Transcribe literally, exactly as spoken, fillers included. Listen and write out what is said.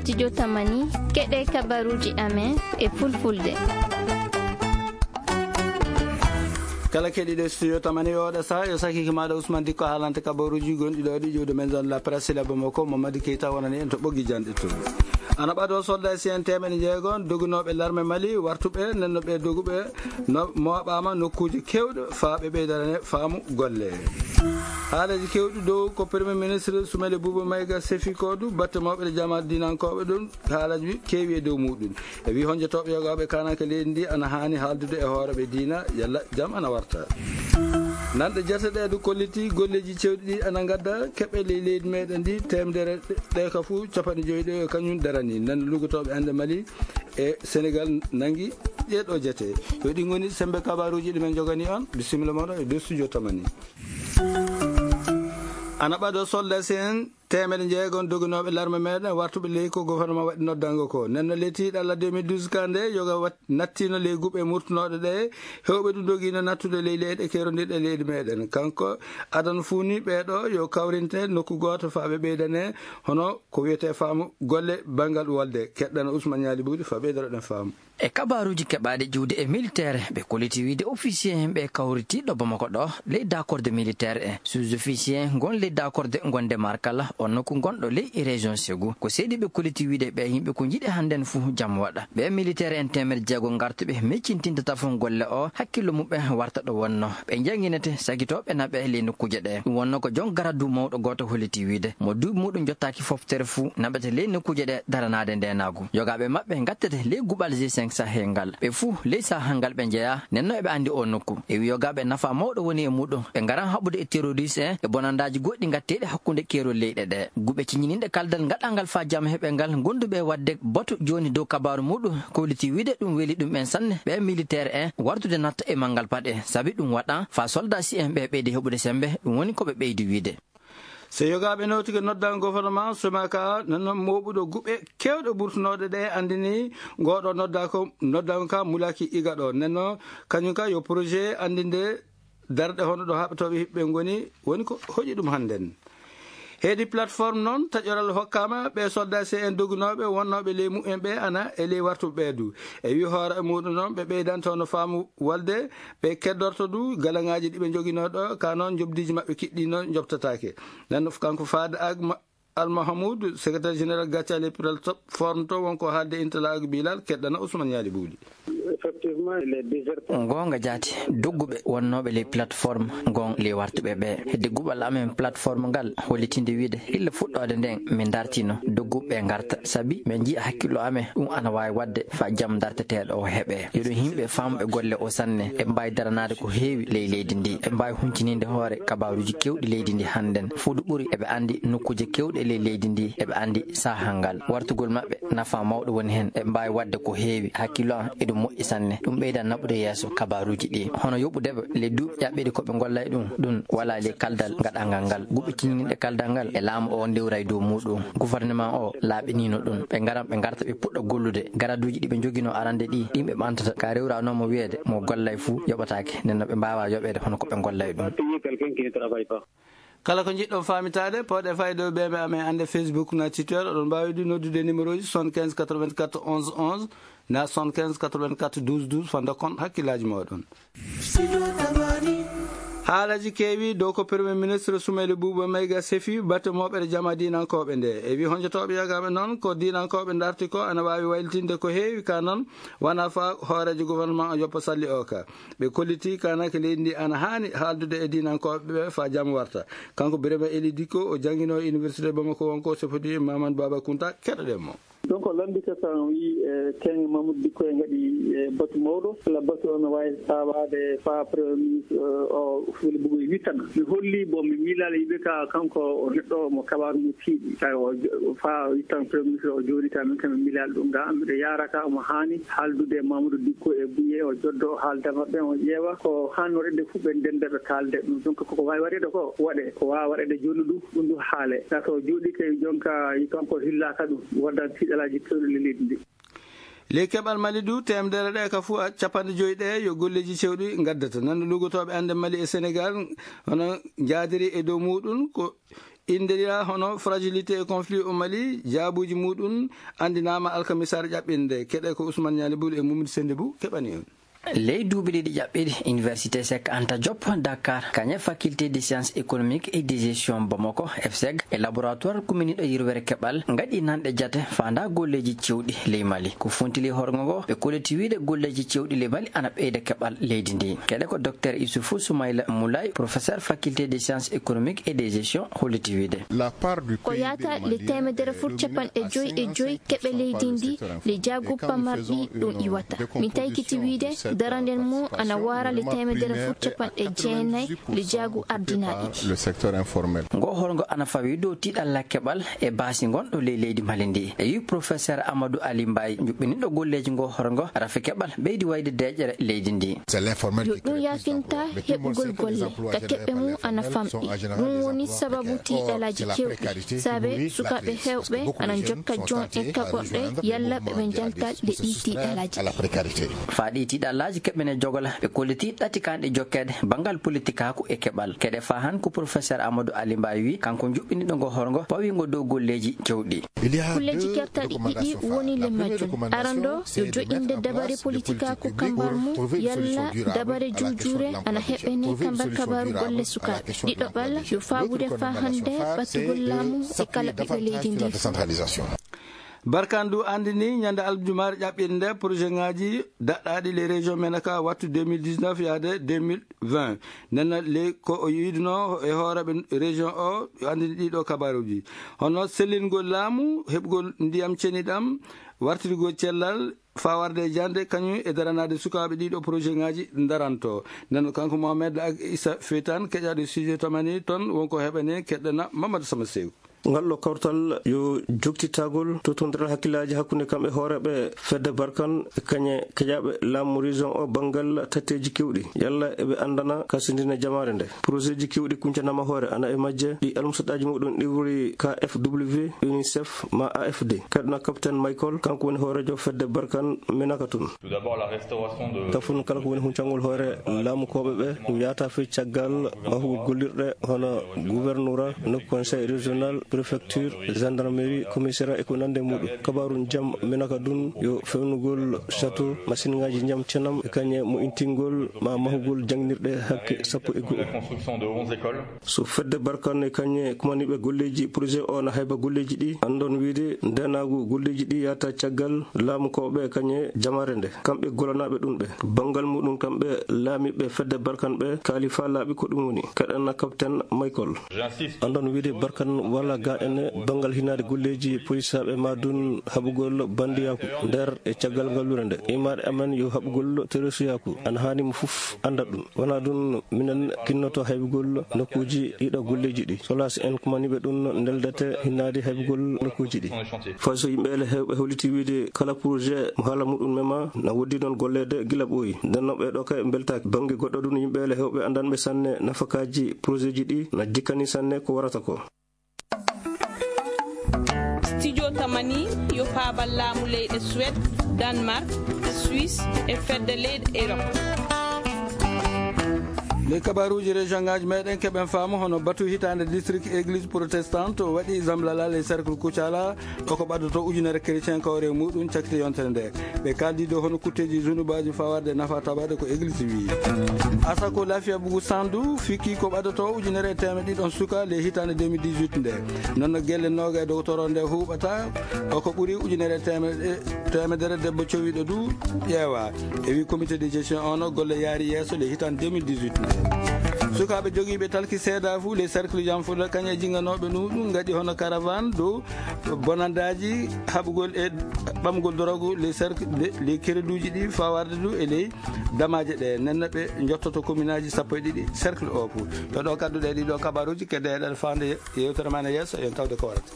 Studio Tamani, keɗe kabaruji amen e fulfulde. Kala keɗiɗo Studio Tamani oɗo saha, yo sakiki maɗa Ousmane Dikko haalante kabaruji gonɗi ɗo ɗi ƴiwde men zone la presse, labbo makko Mamadou Keita wonani en to ɓoggi janɗe to. Ana ɓaɗo soldat si en temeɗe jeego dogunoɓe larme Mali wartuɓe nenno ɓe doguɓe no moɓama nokkuje kewɗe fa ɓe ɓeydana faamu golle. Haalaji kewɗi dow ko Premier Ministre Sumele Buuba Mayga sefi ko du batte mawɓe ɗe jamaat dinankoɓe ɗum haalaji keewi e dow muɗum. E wi honjotoɓe yogaɓe kanaka leydi ndi ana hani haaldude e hooreɓe diina yalla jam ana warta. Nanɗe jate ɗe du kolliti golleji cewɗi ɗi ana gadda keɓe ley leydi meɗen ndi temedere ɗe ka fuu capanɗe joyi ɗe kañum darani nan lugotoɓe ande Mali e Sénégal nangi ɗeɗo jate. Yo ɗi goni sembe kabaruji ɗi men jogani on. Bisimilla moɗo e dow studio Tamani. Ana ɓaɗo soldat si en temeɗe jeego dogunoɓe larme meɗen wartuɓe ley ko gouvernement waɗi noddango ko nenno ley tiiɗalla deux mille douze ka nde yoga wat nattino ley guɓe murtunoɗe ɗe hewɓe ɗum dogino nattude ley leyɗe kerondirɗe leydi meɗen kanko adana fuu ni ɓeɗo yo kawrinte nokku goto fa ɓe ɓeydane hono ko wiyete faamu golle banngal wolde. Keɗɗana Ousmane Ñaali Buuɗi fa ɓeydotoɗen faamu. E kabaruji keɓaɗi ƴiwde e militaire ɓe kolliti wiide officier ɓe kawriti ɗo Bamako ɗo ley dakorde militaire e sous-officier gon ley dakorde gonde markala on nokku gonɗo ley région Ségou ko seedi ɓe kolliti wiide ɓe yimɓe ko jiiɗi hannden fuu jam waɗa. Ɓe militaire en temeɗe jeego gartuɓe meccintinde tafon golle o hakkillo muɓɓe warta ɗo wonno ɓe janginete sagitoɓe naɓe ley nokkuje ɗe. Ɗum wonno ko jon garadu mawɗo goto holliti wiide mo duuɓi muɗum jottaki foftere fuu naɓete ley nokkuje ɗe daranade ndenagu. Yogaɓe maɓɓe gattete ley guɓal G cinq Sahel ngal ɓe fuu ley sahal ngal ɓe jeeya nenno eɓe andi o nokku e wi yogaɓe nafa mawɗo woni e muɗum ɓe garan haɓude e terroriste en e bonandaji goɗɗi gatteɗi hakkunde keerol leyɗe ɗe. Guɓe ciñininɗe kaldal gaɗangal fa jam heɓe ngal gonduɓe wadde batu joni dow kabaru muɗum kolliti wiide ɗum weli ɗum en sanne ɓe militaire en wartude natta e manngal paɗe sabi ɗum waɗa fa soldat si en ɓe ɓeydi heɓude sembe ɗum woni ko ɓe ɓeydi wiide. So yogaɓe nawtike noddan gouvernement somaka nano moɓuɗo guɓe kewɗe burtunoɗe ɗe andini ngoɗo nodda ko noddan ka mulaki iga ɗo nenno kañum ka yo projet andinde darɗe hono ɗo haɓɓetoɓe hiɓɓe ngoni woni ko hoƴi ɗum hannden. Heedi plateforme noon taƴoral hokkama ɓe soldat C N dogunoɓe wonnoɓe ley mumen ɓe ana e ley wartuɓe ɓe du e wi hoore e muɗum noon ɓe ɓeydanto no faamu walde ɓe keddorto du galaŋaaji ɗi ɓe njogino ɗo ka noon njoɓdiji maɓɓe kiɗɗino njoɓtataake. Nden kanko faade ak almahamoud secrétaire général gaccal e piral fornto wonko haalde intala ak bilal keɗɗana ousmane yaali buuɗi. Effectivement les déserteurs. Goonga jaati dogguɓe wonnooɓe ley plateforme ngon ley wartuɓe ɓe hedde guɓal amen plateforme ngal hollitinde wiide hilla fuɗɗoode nden min dartino dogguɓe ngarta sabi min njiya hakkillo amen ɗum ana waawi waɗde fa jam darteteeɗo o heɓe yoɗo yimɓe famɓe golle o sanne ɓe mbaawi daranaade ko heewi ley leydi ndi ɓe mbaawi huncininde hoore kabaruuji kewɗi leydi ndi hannden fuudu ɓuri eɓe anndi nokkuuje kewɗe ley leydi ndi eɓe anndi saahal ngal wartugol maɓɓe nafa mawɗo woni heen eɓe mbaawi waɗde ko heewi hakkillo am eɗum moƴƴi sanne ɗum ɓeydan naɓude yeeso kabaruuji ɗi hono yoɓudeɓe ley duuɓi ƴaɓɓiɗi ko ɓe ngolla e ɗum ɗum wala ley kaldal gaɗangal ngal guɓɓitininde kaldal ngal e laamu o ndewra e dow muɗum gouvernement o laaɓinino ɗum ɓe ngaran ɓe ngarta ɓe puɗɗa gollude garaduuji ɗi ɓe njogino arande ɗi ɗin ɓe ɓantata ka rewranomo wiyeede mo gollay fuu yoɓataake nden no ɓe mbaawa yoɓeede hono ko ɓe ngolla e ɗum. Kala ko njiɗɗon faamitaade pooɗe fayde o beme amen annde facebook na twitter oɗon mbaawi ɗum noddude numéro ji soixante-quinze quatre-vingt-quatre onze onze na soixante-quinze quatre-vingt-quatre douze douze fa dokkon hakkillaaji mooɗon. Haalaji keewi dow ko premier ministre sumayli buuba mayga sefi batte moɓere jama dinankooɓe nde e wi honjotooɓe yagaɓe noon ko dinankooɓe darti ko ana waawi waylitinde ko heewi ka noon wona fa hooreejo gouvernement o yoppa salli o ka ɓe kolliti kanake leydi ndi ana haani haaldude e dinankooɓe ɓe fa jam warta. Kanko birama eli dikko o janngino e université bamako wonko sefodi mamadou baba kunta keɗoɗen mo. Donc lanndike tan wi e kenge mamoudou dikko e ngaɗi e batu mawɗo ala batu on no wawi sawade fa premier ministre o fuli bugoy wittana mi holli bon mi miilali yiɓe ka kanko o neɗɗo mo kabaru mo tiiɗi tawi o fa wittan premier ministre o jooɗi ka min kam mi miilali ɗum ga miɗo yaraka omo haani haaldude mamoudou dikko e buye o joddo o haalda maɓɓe o ƴeewa ko hanno rende fuu ɓe ndenda ɓe kaalda ɗum donc koko wawi waɗede ko waɗe ko wawa waɗede joni ɗum ɗum ɗum haale saka o jooɗi kay jonka yi kanko hillaka ɗum waddan tiɗalaji kewɗi lelidi ndi. Ley keɓal mali du temedere ɗe ka fuu capanɗe joyi ɗe yo golleji cewɗi gaddata nan lugotooɓe annde mali e sénégal hono jaadiri e dow muɗum ko Indeya hono fragilité et conflit au Mali, jaabuuji muɗum anndinaama alkamisaare ƴaɓɓinde. Keɗe ko Ousmane Niani Boul e Mamadou Sendebou keɓani on. Ley duuɓi ɗiɗi ƴaɓɓiɗi, Université Cheikh Anta Diop Dakar, kañe Faculté des Sciences Économiques et de Gestion Bamako, F S E G, e laboratoire kuminiiɗo yirwere keɓal, ngaɗi nanɗe jate faanda golleeji cewɗi ley Mali. Ko funtili horgo ngo, ɓe kolliti wiide golleeji cewɗi ley Mali ana ɓeyda keɓal leydi ndi. Keɗe ko Docteur Issoufou Soumaïla Moulay, professeur Faculté des Sciences Économiques et de Gestion, holliti wiide. Ko yaata le teemedere fuu capanɗe joyi e joyi keɓe leydi ndi, le jaagu pamarɗi ɗum iwata. Mi taykiti wiide, daranden mum ana waara le teemedere fuu capanɗe jeenayi le jaagu ardinaaɗi. Ngo horgo ana fawi dow tiiɗalla keɓal e baasi ngonɗo ley leydi Mali ndi. E wi professeur Amadou Ali Mbaye, juɓɓiniɗo golleeji ngo horgo, rafi keɓal ɓeydi wayde deeƴere leydi ndi. Yo ɗum yaafinta heɓugol golle, ka keɓɓe mum ana famɗi. Ɗum woni sababu tiiɗalaaji kewɗi. Saabe sukaaɓe heewɓe ana njokka joom en kaɓorɗe, yalla ɓe ɓe njanta ɗe ɗi tiiɗalaaji. Faa ɗi tiiɗalaaji keɓɓene jogola, ɓe kolliti ɗatikanɗe jokkeede banngal politikaaku e keɓal. Keɗe faa han ko professeur Amadou Ali Mbaye wi, kanko juɓɓiniɗo ngo horgo, pawi ngo dow golleeji cewɗi. Kulleeji kertaɗi ɗiɗi woni le majjum. Arando yo joƴƴinde dabare politikaaku kambar mum, yalla dabare juujuure ana heɓɓene kambar kabaaru golle sukaaɓe. Ɗiɗoɓal yo faawude faa hannde ɓattugol laamu e kala ɓiɓɓe leydi ndi. Barkan du anndini ñande aljumaare ƴaɓɓiinde projet ŋaaji daɗɗaaɗi les régions menaka wattu deux mille dix-neuf yaade deux mille vingt. Nden noon, ley ko o yiɗunoo e hooreeɓe région o, yo anndini ɗiɗo kabaaruuji. Hono sellingol laamu, heɓgol ndiyam ceniɗam, wartirgol cellal, faa warde e jannde, kañum e daranaade sukaaɓe ɗiɗo projet ŋaaji daranto. Nden noon, kanko Mohamed Ag Issa Feytan, keƴaaɗo sujet tamani toon, wonko heɓani keɗɗana Mamadou Sama Sew. Ngal ɗo kawtal yo joktitagol totondiral hakkillaaji hakkunde kam e hooreeɓe fedde Barkan e kañe keƴaaɓe laamu région o banngal tatteeji kewɗi. Yalla eɓe anndana kasindine jamaare nde. Projet ji kewɗi kuncanaama hoore ana e majje ɗi almusaɗaaji muɗum iwri K F W, UNICEF, ma A F D. Kaɗuna Capitaine Michael, kanko woni hooreejo fedde Barkan Minaka tun. Tout d'abord, la restauration de Tafun kala ko woni huncangol hoore laamukooɓe ɓe, ɗum yaata fii caggal mahugol gollirɗe hono gouverneur, no conseil régional, préfecture, gendarmerie, commissariat e ko nande muɗum. Kabaaru jam Minaka dun yo fewnugol château, masinŋaaji jam cenam e kañe mo intingol ma mahugol jangnirɗe hakke sappo e go'o. La construction de onze écoles. So fedde Barkan e kañe kumaniiɓe golleeji projet o na hayba golleeji ɗi, anndon wiide ndeenaagu golleeji ɗi yaata caggal laamukooɓe e kañe jamaare nde. Kamɓe gollanaaɓe ɗum ɓe. Banngal muɗum kamɓe laamiiɓe fedde Barkan ɓe kaali faa laaɓi ko ɗum woni. Kaɗana Capitaine Michael. J'insiste. Anndon wiide Barkan wala ga ene banngal hinaade golleeji polisaaɓe ma dun haɓugol bandiyaaku nder e caggal ngallure nde. Imaade amen yo haɓugol teresuyaaku. Ana haani mo fof annda ɗum. Wona ɗum, minen kinnoto haybugol nokkuuji ɗiɗo golleeji ɗi. Solas en kumaniiɓe ɗum, ndeldete hinnaade haybugol nokkuuji ɗi. Fay so yimɓe ele heewɓe holliti wiide kala projet mo haala muɗum mema, na woodi noon golleede gila ɓooyi. Nden noon ɓee ɗoo kay mbeltaaki. Bannge goɗɗo ɗum, yimɓe ele heewɓe anndanɓe sanne nafakaaji projet ji ɗi, na jikkani sanne ko warata ko. Studio Tamani yo faabal laamu leyɗe Suède, Danemark, Suisse e fedde leyɗe Europe. Ley kabaruuji région ŋaaji meɗen keɓen faamu hono batu hitaande district église protestante o waɗi Zamlala ley cercle Kucala, o ko ɓaddoto ujunere chrétien kawre muɗum cakite yontere nde. Ɓe kaldi dow hono kutteeji zunubaaji fawarde nafa tabaade ko église wi. Asako Lafiya Bugu Sandu fikki ko ɓadoto ujunere e teemeɗe ɗiɗon suka le hitaande deux mille dix-huit nde. Noon no gelle nooga e dogotoro nde huuɓata, o ko ɓuri ujunere e teemeɗe, teemedere debbo cowiɗo du ƴeewa. E wi comité de gestion ono golle yaari yeeso le hitaande deux mille dix-huit nde. Sukaaɓe jogiiɓe talki seeda fu le cercle Jamfulla kañe jinganooɓe nu ɗum ngaɗi hono caravane dow bonandaaji haɓugol e ɓamgol dorogu, les cercle, les kereduuji ɗi fawarde du e ley damaaje ɗe. Nenna ɓe njottoto kominaaji sappo e ɗiɗi cercle o fu. Yo ɗo kadduɗe ɗiɗo kabaruuji kedde eɗen faande yewtere ma ne yeeso, en tawde ko warata.